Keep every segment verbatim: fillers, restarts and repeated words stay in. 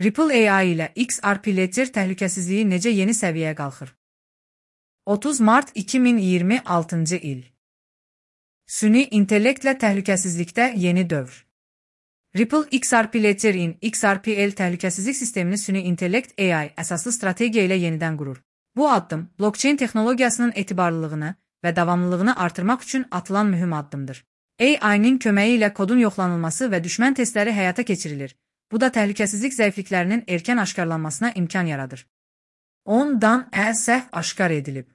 Ripple A I ilə X R P Ledger təhlükəsizliyi necə yeni səviyyəyə qalxır? otuz mart iki min iyirmi altıncı il. Süni intellektlə təhlükəsizlikdə yeni dövr. Ripple X R P Ledger-in X R P L təhlükəsizlik sistemini süni intellekt A I əsaslı strategiya ilə yenidən qurur. Bu addım, blockchain texnologiyasının etibarlılığını və davamlılığını artırmaq üçün atılan mühüm addımdır. A I-nin köməyi ilə kodun yoxlanılması və düşmən testləri həyata keçirilir. Bu da təhlükəsizlik zəifliklərinin erkən aşkarlanmasına imkan yaradır. Ondan ə səhv aşkar edilib.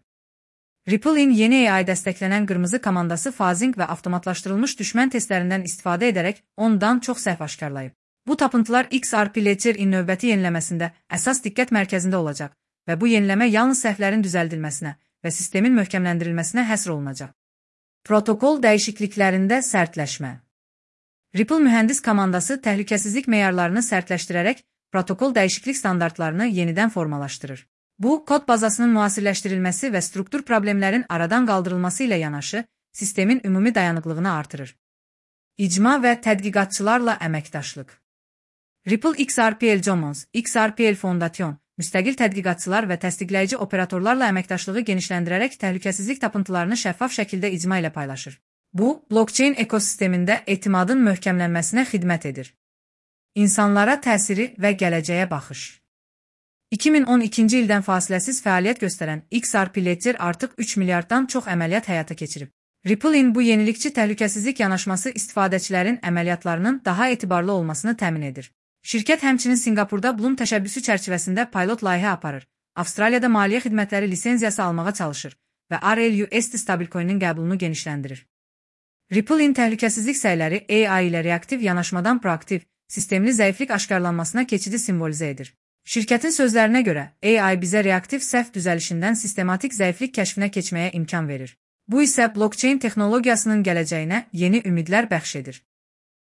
Ripple-in yeni A I dəstəklənən qırmızı komandası fazing və avtomatlaşdırılmış düşmən testlərindən istifadə edərək ondan çox səhv aşkarlayıb. Bu tapıntılar X R P Ledger-in növbəti yeniləməsində əsas diqqət mərkəzində olacaq və bu yeniləmə yalnız səhvlərin düzəldilməsinə və sistemin möhkəmləndirilməsinə həsr olunacaq. Protokol dəyişikliklərində sərtləşmə. Ripple mühəndis komandası təhlükəsizlik meyarlarını sərtləşdirərək protokol dəyişiklik standartlarını yenidən formalaşdırır. Bu, kod bazasının müasirləşdirilməsi və struktur problemlərin aradan qaldırılması ilə yanaşı, sistemin ümumi dayanıqlığını artırır. İcma və tədqiqatçılarla əməkdaşlıq. Ripple X R P L Commons, X R P L Foundation, müstəqil tədqiqatçılar və təsdiqləyici operatorlarla əməkdaşlığı genişləndirərək təhlükəsizlik tapıntılarını şəffaf şəkildə icma ilə paylaşır. Bu, blockchain ekosistemində etimadın möhkəmlənməsinə xidmət edir. İnsanlara təsiri və gələcəyə baxış. iki min on ikinci ildən fasiləsiz fəaliyyət göstərən X R P Ledger artıq üç milyarddan çox əməliyyat həyata keçirib. Ripple-in bu yenilikçi təhlükəsizlik yanaşması istifadəçilərin əməliyyatlarının daha etibarlı olmasını təmin edir. Şirkət həmçinin Singapurda Bloom təşəbbüsü çərçivəsində pilot layihə aparır, Avstraliyada maliyyə xidmətləri lisenziyası almağa çalışır və R L U S D stablecoin'in qəbulunu genişləndirir. Ripple-in təhlükəsizlik səyləri A I ilə reaktiv yanaşmadan proaktiv, sistemli zəiflik aşkarlanmasına keçidi simvolizə edir. Şirkətin sözlərinə görə, A I bizə reaktiv səhv düzəlişindən sistematik zəiflik kəşfinə keçməyə imkan verir. Bu isə blockchain texnologiyasının gələcəyinə yeni ümidlər bəxş edir.